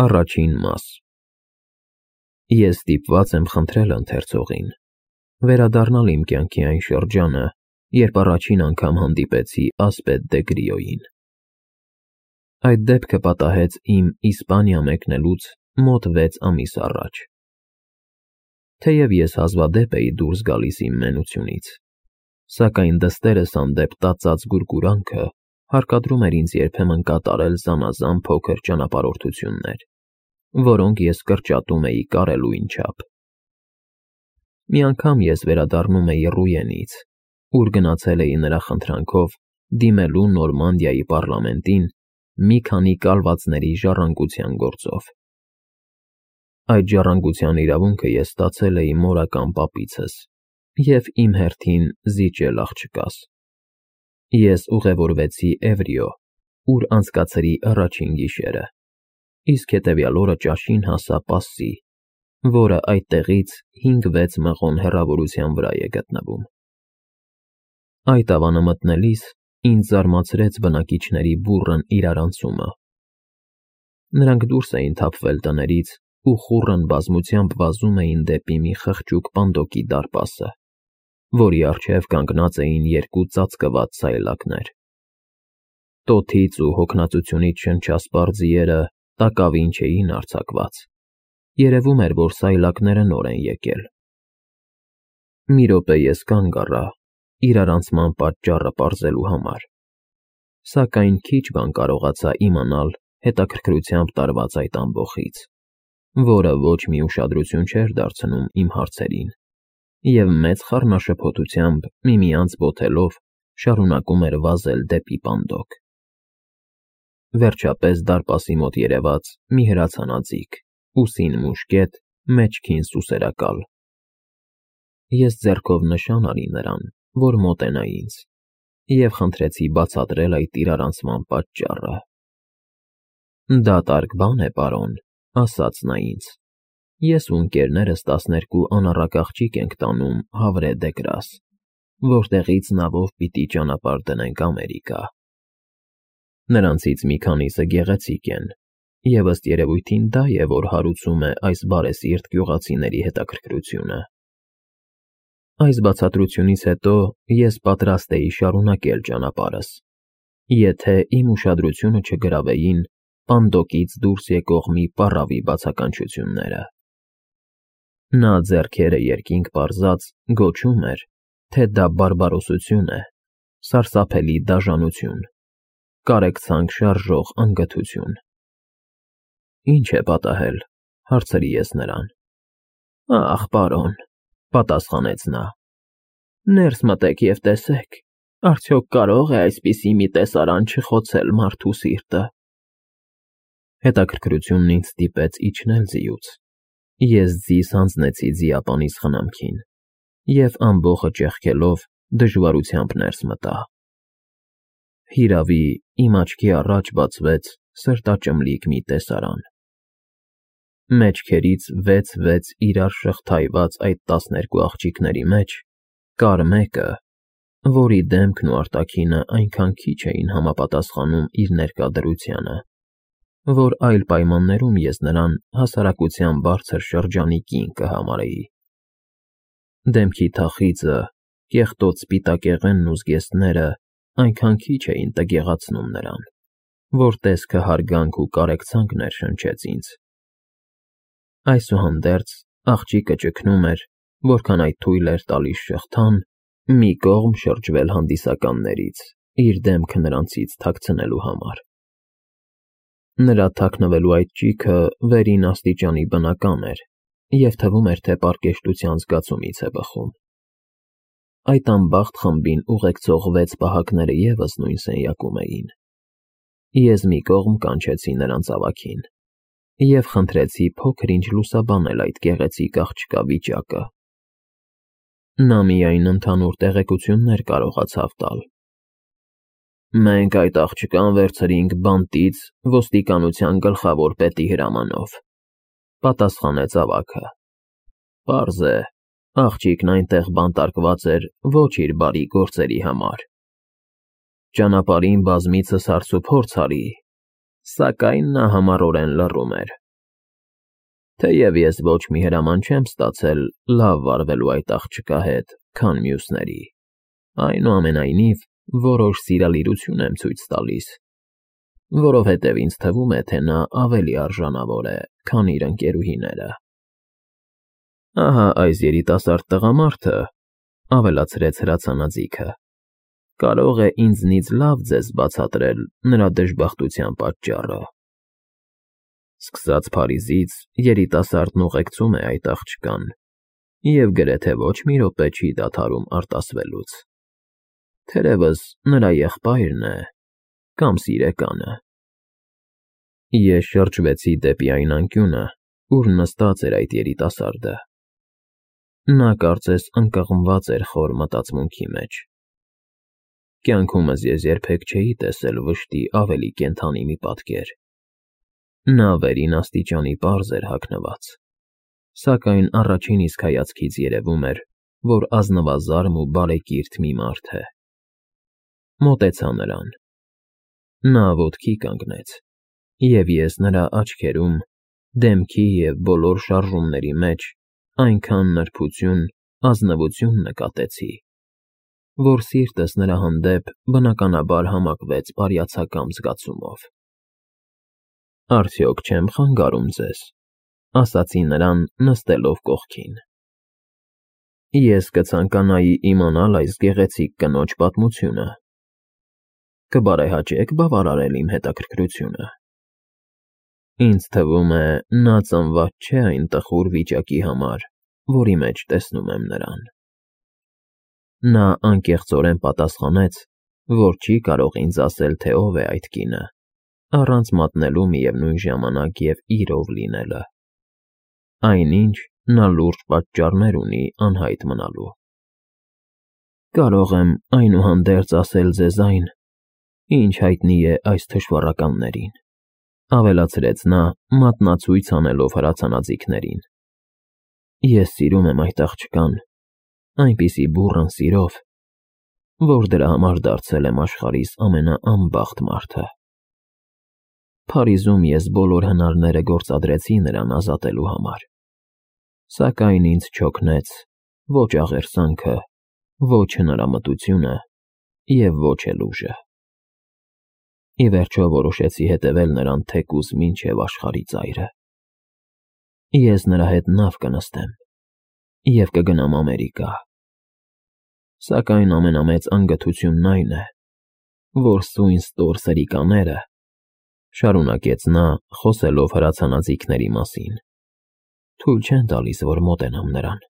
Առաջին մաս։ Ես ստիպված եմ խնդրել ընթերցողին վերադառնալ իմ կյանքի այն շրջանը, երբ առաջին անգամ հանդիպեցի Ասպետ դե Գրիոյին։ Այդ դեպքը պատահեց իմ Իսպանիա մեկնելուց մոտ 6 ամիս առաջ։ Թեև ես հազվադեպ էի դուրս գալիս իմ մենությունից, սակայն դստերս հանդեպ տածած գուրգուրանքը հարկադրում էր ինձ երբեմն կատարել զանազան փոքր ճանապարհորդություններ, որոնք ես կրճատում էի կարելույն չափ։ Մի անգամ ես վերադառնում էի Ռուենից, ուր գնացել էի նրա խնդրանքով դիմելու Նորմանդիայի պառլամենտին մի քանի կալվածների ժառանգության գործով։ Այդ ժառանգության իրավունքը ես ստացել էի մորական պապիցս և իմ հերթին զիջել աղջկաս։ Ես ուղևորվեցի Էվրիո, ուր անցկացրի առաջին գիշերը, իսկ հետևյալ օրը ճաշին հասա Պասսի, որը այդտեղից 5-6 մղոն հեռավորության վրա է գտնվում։ Այդ ավանը մտնելիս ինձ զարմացրեց բնակիչների բուռն իրարանցումը։ Նրանք դուրս էին թափվել տներից ու խուռն բազմությամբ վազում էին դեպի մի խղճուկ պանդոկի դարպասը, որի առջև կանգնած էին 2 ծածկված սայլակներ։ Տոթից ու հոգնածությունից շնչասպառ ձիերը տակավին չէին արձակված, երևում էր, որ սայլակները նոր են եկել։ Մի րոպե ես կանգ առա իրարանցման պատճառը պարզելու համար, սակայն քիչ բան կարողացա իմանալ հետաքրքրությամբ տարված այդ ամբոխից, որը ոչ մի ուշադրություն չէր դարձնում իմ հարցերին և մեծ խառնաշփոթությամբ միմյանց բոթելով շարունակում էր վազել դեպի պանդոկ։ Վերջապես դարպասի մոտ երևաց մի հրացանաձիկ, ուսին մուշկետ, մեջքին սուսերակալ։ Ես ձեռքով նշան արի նրան, որ մոտենա ինձ, և խնդրեցի բացատրել այդ իրարանցման պատճառը։ «Դատարկ բան է, պարոն», ասաց նա ինձ։ «Ես ու ընկերներս 12 անառակ աղջիկ ենք տանում Հավրե դե Գրաս, որտեղից նավով պիտի ճանապարհ դնենք Ամերիկա։ Նրանցից մի քանիսը գեղեցիկ են, և ըստ երևույթին դա է, որ հարուցում է այս բարեսիրտ գյուղացիների հետաքրքրությունը»։ Այս բացատրությունից հետո ես պատրաստ էի շարունակել ճանապարհս, եթե իմ ուշադրությունը չգրավեին պանդոկից դուրս եկող մի պառավի բացականչությունները։ Նա ձեռքերը երկինք պարզած գոչում էր, թե դա բարբարոսություն է, սարսափելի դաժանություն, կարեկցանք շարժող անգթություն։ «Ինչ է պատահել», հարցրի ես նրան։ «Ախ, պարոն», պատասխանեց նա, «ներս մտեք և տեսեք, արդյոք կարող է այսպիսի մի տեսարան չխոցել մարդու սիրտը»։ Հետաքրքրությունն ինձ ստիպեց իջնել ձիուց։ Ես ձիս հանձնեցի ձիապանիս խնամքին և ամբոխը ճեղքելով դժվարությամբ ներս մտա։ Հիրավի, իմ աչքի առաջ բացվեց սրտաճմլիկ մի տեսարան։ Մեջքերից 6 իրար շղթայված այդ 12 աղջիկների մեջ կար մեկը, որի դեմքն ու արտաքինը այնքան քիչ էին համապատասխանում իր ներկա դրությանը, որ այլ պայմաններում ես նրան հասարակության բարձր շրջանի կին կհամարեի։ Դեմքի թախիծը, կեղտոտ սպիտակեղենն ու զգեստները այնքան քիչ էին տգեղացնում նրան, որ տեսքը հարգանք ու կարեկցանք ներշնչեց ինձ։ Այսուհանդերձ աղջիկը ճգնում էր, որքան այդ թույլ էր տալիս շղթան, մի կողմ շրջվել հանդիսականներից, իր դեմքը նրանցից թաքցնելու համար։ Նրա թաքնվելու այդ ճիգը վերին աստիճանի բնական էր և թվում էր, թե պարկեշտության զգացումից է բխում։ Այդ անբախտ խմբին ուղեկցող 6 պահակները ևս նույն սենյակում էին։ Ես մի կողմ կանչեցի նրանց ավագին և խնդրեցի փոքր-ինչ լուսաբանել այդ գեղեցիկ աղջկա վիճակը։ Նա միայն ընդհանուր տեղեկություններ կարողացավ տալ։ «Մենք այդ աղջկան վերցրինք բանտից ոստիկանության գլխավոր պետի հրամանով», պատասխանեց ավագը։ «Պարզ է, աղջիկն այնտեղ բանտարկված էր ոչ իր բարի գործերի համար։ Ճանապարհին բազմիցս հարցուփորձ արի, սակայն նա համառորեն լռում էր։ Թեև ես ոչ մի հրաման չեմ ստացել լավ վարվելու այդ աղջկա հետ, քան մյուսների, այնուամենայնիվ որոշ սիրալիրություն եմ ցույց տալիս, որովհետև ինձ թվում է, թե նա ավելի արժանավոր է, քան իր ընկերուհիները։ Ահա այս երիտասարդ տղամարդը, ավելացրեց հրացանաձիգը, կարող է ինձնից լավ ձեզ բացատրել նրա դժբախտության պատճառը։ Սկսած Փարիզից երիտասարդն ուղեկցում է այդ աղջկան և գրեթե ոչ մի րոպե չի դադարում արտասվելուց։ Թերևս նրա եղբայրն է կամ սիրեկանը։ Ես շրջվեցի դեպի այն անկյունը, ուր նստած էր այդ երիտասարդը։ Նա կարծես ընկղմված էր խոր մտածմունքի մեջ։ Կյանքումս ես երբեք չէի տեսել վշտի ավելի կենդանի մի պատկեր։ Նա վերին աստիճանի պարզ էր հագնված, սակայն առաջին իսկ հայացքից երևում էր, որ ազնվազարմ ու բարեկիրթ մի մարդ է։ Մոտեցա նրան։ Նա ոտքի կանգնեց, և ես նրա աչքերում, դեմքի և բոլոր շարժումների մեջ այնքան նրբություն, ազնվություն նկատեցի, որ սիրտս նրա հանդեպ բնականաբար համակվեց բարյացակամ զգացումով։ Արդյոք չեմ խանգարում ձեզ, ասացի նրան նստելով կողքին։ Ես կցանկանայի իմանալ այս գեղեցիկ կնոջ պատմությունը։ Կբարեհաճեք բավարարել իմ հետաքրքրությունը։ Ինձ թվում է, նա ծնված չէ այն տխուր վիճակի համար, որի մեջ տեսնում եմ նրան։ Նա անկեղծորեն պատասխանեց, որ չի կարող ինձ ասել, թե ով է այդ կինը, առանց մատնելու միևնույն ժամանակ և իրով լինելը։ Այնինչ նա լուրջ պատճառներ ունի անհայտ մնալու։ Կարող եմ այնուհանդերձ ասել ձեզ այն, ինչ հայտնի է այս թշվառականներին, ավելացրեց նա մատնացույց անելով հրացանաձիգներին։ Ես սիրում եմ այդ աղջկան, այնպիսի բուռն սիրով, որ դրա համար դարձել եմ աշխարհիս ամենաանբախտ մարդը։ Փարիզում ես բոլոր հնարները գործադրեցի նրան ազատելու համար, սակայն ինձ չօգնեց ոչ աղերսանքը, ոչ հնարամտությունը և ոչ էլ ուժը։ Ի վերջո որոշեցի հետևել նրան թեկուզ մինչև աշխարհի ծայրը։ Ես նրա հետ նավ կնստեմ և կգնամ Ամերիկա։ Սակայն ամենամեծ անգթությունն այն է, որ սույն ստոր սրիկաները, շարունակեց նա, խոսելով հրացանաձիգների մասին, թույլ չեն տալիս, որ մոտենամ նրան։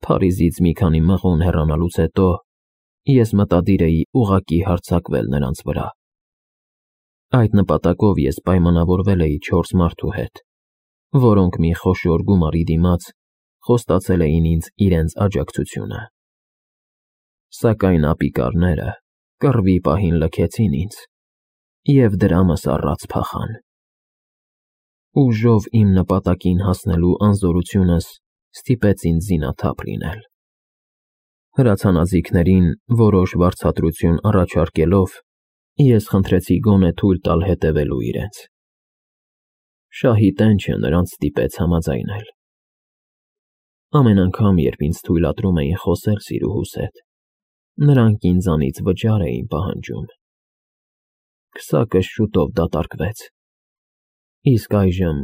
Փարիզից մի քանի մղոն հեռանալուց հետո ես մտադիր էի ուղղակի հարձակվել նրանց վրա։ Այդ նպատակով ես պայմանավորվել էի 4 մարդու հետ, որոնք մի խոշոր գումարի դիմաց խոստացել էին ինձ իրենց աջակցությունը։ Սակայն ապիկարները կռվի պահին լքեցին ինձ և դրամս առած փախան։ Ուժով իմ նպատակին հասնելու անզորությունս ստիպեց ինձ զինաթափ լինել։ Հրացանաձիգներին որոշ վարձատրություն առաջարկելով, ես խնդրեցի գոնե թույլ տալ հետևելու իրենց։ Շահի տենչը նրանց ստիպեց համաձայնել։ Ամեն անգամ, երբ ինձ թույլատրում էին խոսել սիրուհուս հետ, նրանք ինձանից վճար էին պահանջում։ Քսակս շուտով դատարկվեց։ Իսկ այժմ,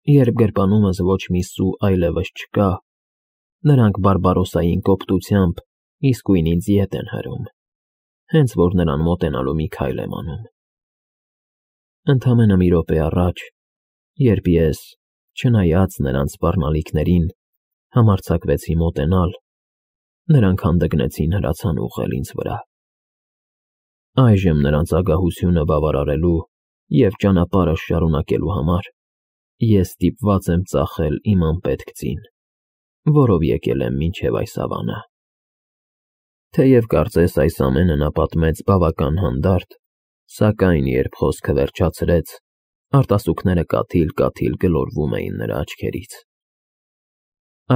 երբ գրպանումս ոչ մի սու այլևս չկա, նրանք բարբարոսային կոպտությամբ իսկույն ինձ ետ են հրում, հենց որ նրան մոտենալու մի քայլ եմ անում։ Ընդամենը մի րոպե առաջ, երբ ես, չնայած նրանց սպառնալիքներին, համարձակվեցի մոտենալ, նրանք հանդգնեցին հրացան ուղղել ինձ վրա։ Այժմ նրանց ագահությունը բավարարելու և ճանապարհս շարունակելու համար ես ստիպված եմ ծախել իմ անպետք ձին, որով եկել եմ մինչև այս ավանը։ Թեև կարծես այս ամենը նա պատմեց բավական հանդարտ, սակայն երբ խոսքը վերջացրեց, արտասուքները կաթիլ-կաթիլ գլորվում էին նրա աչքերից։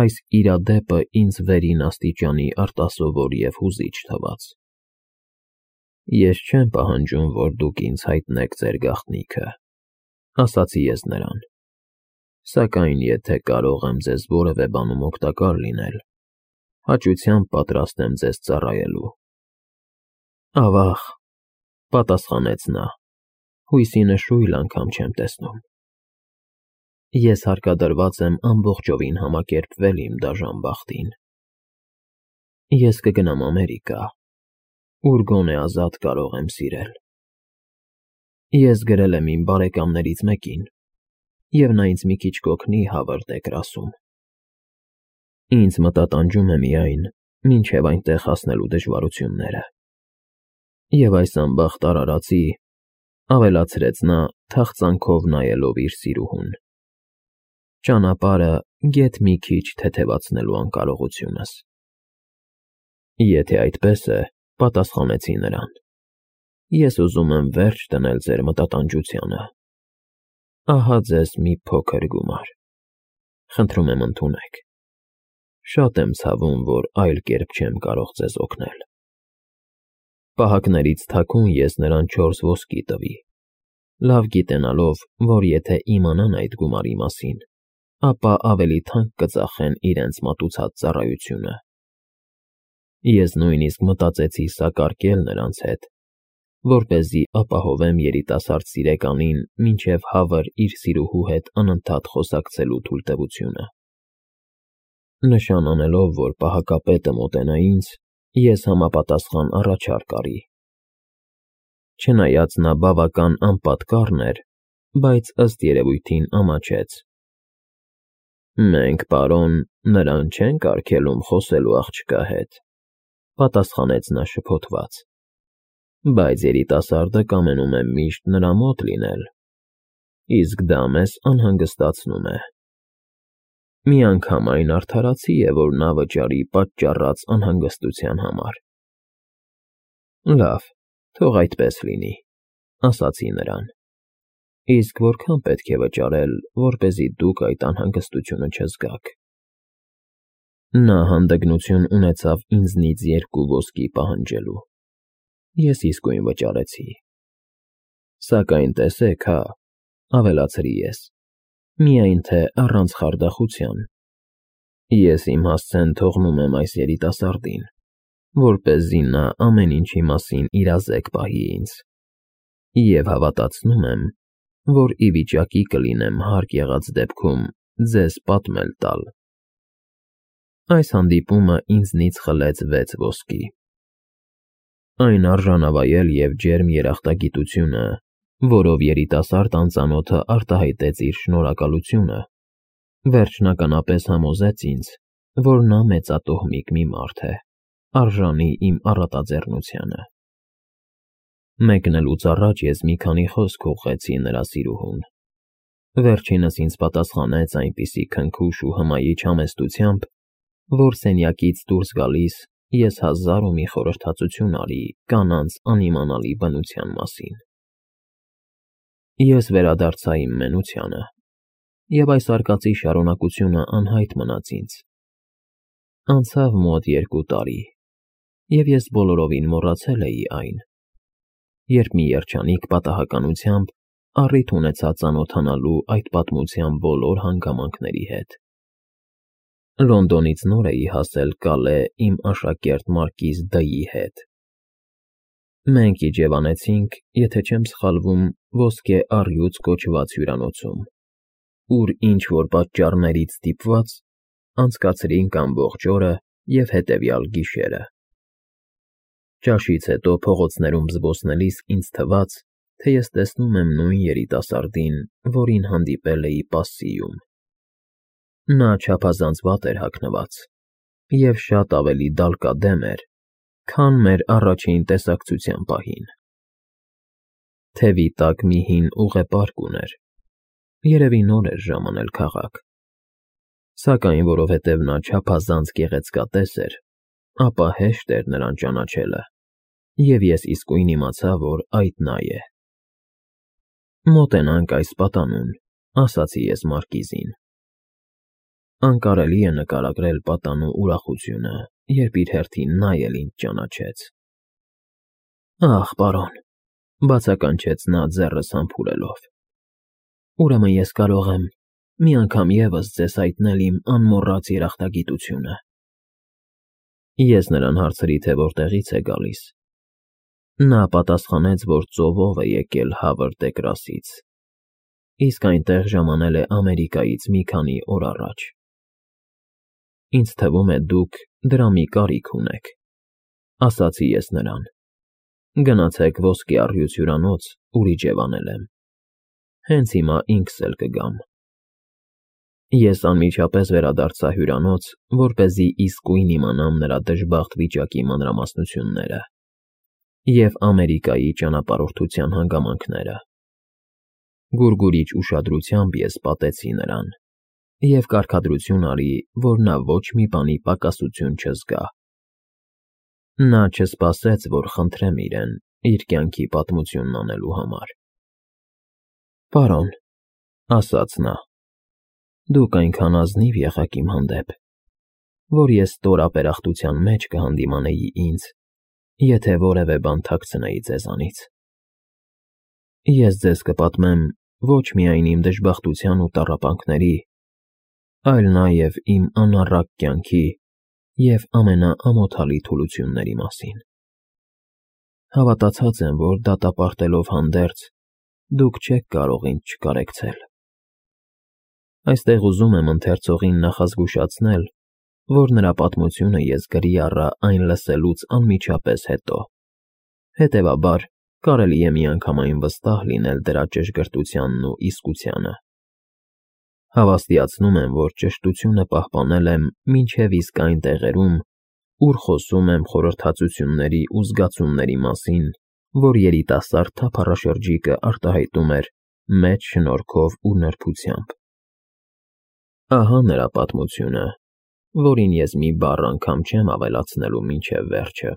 Այս իրադեպը ինձ վերին աստիճանի արտասովոր և հուզիչ թվաց։ Ես չեմ պահանջում, որ դուք ինձ հայտնեք ձեր գաղտնիքը, ասացի ես նրան, Սակայն եթե կարող եմ ձեզ որևէ բանում օգտակար լինել, հաճությամբ պատրաստ եմ ձեզ ծառայելու։ Ավաղ, պատասխանեց նա, հույսի նշույլ անգամ չեմ տեսնում։ Ես հարկադրված եմ ամբողջովին համակերպվել իմ դաժան բախտին։ Ես կգնամ Ամերիկա, ուր գոնե ազատ կարող եմ սիրել։ Ես գրել եմ իմ բարեկամներից մեկին, և նա ինձ մի քիչ կօգնի Հավարդ Էգրասում։ Ինձ մտատանջում է միայն մինչև այնտեղ հասնելու դժվարությունները։ Եվ այս անբախտ արարածի, ավելացրեց նա թախծանքով նայելով իր սիրուհուն, ճանապարհը գեթ մի քիչ թեթևացնելու անկարողությունս։ Եթե այդպես է, պատասխանեցի նրան, ես ուզում եմ վերջ դնել ձեր մտատանջությանը։ Ահա ձեզ մի փոքր գումար։ Խնդրում եմ ընդունեք։ Շատ եմ ցավում, որ այլ կերպ չեմ կարող ձեզ օգնել։ Պահակներից թաքուն ես նրան 4 ոսկի տվի, լավ գիտենալով, որ եթե իմանան այդ գումարի մասին, ապա ավելի թանկ կծախեն իրենց մատուցած ծառայությունը։ Ես նույնիսկ մտածեցի սակարկել նրանց հետ, որպեսզի ապահովեմ երիտասարդ սիրեկանին մինչև Հավր իր սիրուհու հետ անընդհատ խոսակցելու թույլտվությունը։ Նշան անելով, որ պահակապետը մոտենա ինձ, ես համապատասխան առաջարկ արի։ Չնայած նա բավական անպատկառն էր, բայց ըստ երևույթին ամաչեց։ Մենք, պարոն, նրան չենք արգելում խոսելու աղջկա հետ, պատասխանեց նա շփոթված, բայց երիտասարդը կամենում է միշտ նրա մոտ լինել, իսկ դա մեզ անհանգստացնում է։ Մի անգամ այն արդարացի է, որ նա վճարի պատճառած անհանգստության համար։ Լավ, թող այդպես լինի, ասացի նրան, իսկ որքան պետք է վճարել, որպեսզի դուք այդ անհանգստությունը չզգաք։ Նա հանդգնություն ունեցավ ինձնից 2 ոսկի պահանջելու։ Ես իսկույն վճարեցի։ Սակայն տեսեք, հա, ավելացրի ես, միայն թե առանց խարդախության։ Ես իմ հասցեն թողնում եմ այս երիտասարդին, որպեսզի նա ամեն ինչի մասին իրազեկ պահի ինձ, և հավատացնում եմ, որ ի վիճակի կլինեմ հարկ եղած դեպքում ձեզ պատմել տալ։ Այս հանդիպումը ինձնից խլեց 6 ոսկի։ Այն արժանավայել և ջերմ երախտագիտությունը, որով երիտասարդ անծանոթը արտահայտեց իր շնորհակալությունը, վերջնականապես համոզեց ինձ, որ նա մեծատոհմիկ մի մարդ է, արժանի իմ առատաձեռնությանը։ Մեկնելուց առաջ ես մի քանի խոսք ուղղեցի նրա սիրուհուն։ Վերջինս ինձ պատասխանեց այնպիսի քնքուշ ու հմայիչ համեստությամբ, որ սենյակից դուրս գալիս ես 1000 խորհրդածություն արի կանանց անիմանալի բնության մասին։ Ես վերադարձա իմ մենությանը, և այս արկածի շարունակությունը անհայտ մնաց ինձ։ Անցավ մոտ 2 տարի, և ես բոլորովին մոռացել էի այն, երբ մի երջանիկ պատահականությամբ առիթ ունեցա ծանոթանալու այդ պատմության բոլոր հանգամանքների հետ։ Լոնդոնից նոր էի հասել Կալե իմ աշակերտ մարկիզ Դ-ի հետ։ Մենք իջևանեցինք, եթե չեմ սխալվում, Ոսկե առյուծ կոչված հյուրանոցում, ուր ինչ-որ պատճառներից ստիպված անցկացրինք ամբողջ օրը և հետևյալ գիշերը։ Ճաշից հետո փողոցներում զբոսնելիս ինձ թվաց, թե ես տեսնում եմ նույն երիտասարդին, որին հանդիպել էի Պասսիում։ Նա չափազանց վատ էր հագնված և շատ ավելի դալկադեմ էր, քան մեր առաջին տեսակցության պահին։ Թևի տակ մի հին ուղեպարկ ուներ, երևի նոր էր ժամանել քաղաք։ Սակայն որովհետև նա չափազանց գեղեցկատես էր, ապա հեշտ էր նրան ճանաչելը, և ես իսկույն իմացա, որ այդ նա է։ Մոտենանք այս պատանուն, ասացի ես մարկիզին։ Անկարելի է նկարագրել պատանու ուրախությունը, երբ իր հերթին նա էլ ինձ ճանաչեց։ Ահ, պարոն, բացականչեց նա ձեռս համբուրելով, ուրեմն ես կարող եմ մի անգամ ևս ձեզ հայտնել իմ անմոռաց երախտագիտությունը։ Ես նրան հարցրի, թե որտեղից է գալիս։ Նա պատասխանեց, որ ծովով է եկել Հավր Տեկրասից, իսկ այնտեղ ժամանել է Ամերիկայից մի քանի օր առաջ։ Ինձ թվում է, դուք դրա մի կարիք ունեք, ասացի ես նրան։ Գնացեք ոսկե առյուծ հյուրանոց, ուր իջևանել եմ։ Հենց հիմա ինքս էլ կգամ։ Ես անմիջապես վերադարձա հյուրանոց, որպեսզի իսկույն իմանամ նրա դժբախտ վիճակի մանրամասնությունները և Ամերիկայի ճանապարհորդության հանգամանքները։ Գուրգուրիչ ուշադրությամբ ես պատեցի նրան և կարգադրություն արի, որ նա ոչ մի բանի պակասություն չզգա։ Նա չսպասեց, որ խնդրեմ իրեն իր կյանքի պատմությունն անելու համար։ Պարոն, ասաց նա, դուք այնքան ազնիվ եղաք իմ հանդեպ, որ ես ստորապերախտության մեջ կհանդիմանեի ինձ, եթե որևէ բան թաքցնեի ձեզանից։ Ես ձեզ կպատմեմ ոչ միայն իմ դժբախտության ու տառապանքների, այլ նաև իմ անառակ կյանքի և ամենաամոթալի թուլությունների մասին։ Հավատացած եմ, որ դատապարտելով հանդերձ, դուք չեք կարող ինձ չկարեկցել։ Այստեղ ուզում եմ ընթերցողին նախազգուշացնել, որ նրա պատմությունը ես գրի առա այն լսելուց անմիջապես հետո, հետևաբար կարելի է միանգամայն վստահ լինել դրա ճշգրտությանն ու իսկությանը։ Հավաստիացնում եմ, որ ճշտությունը պահպանել եմ մինչև իսկ այն տեղերում, ուր խոսում եմ խորհրդածությունների ու զգացումների մասին, որ երիտասարդ թափառաշրջիկը արտահայտում էր մեծ շնորհքով ու նրբությամբ։ Ահա նրա պատմությունը, որին ես մի բառ անգամ չեմ ավելացնելու մինչև վերջը։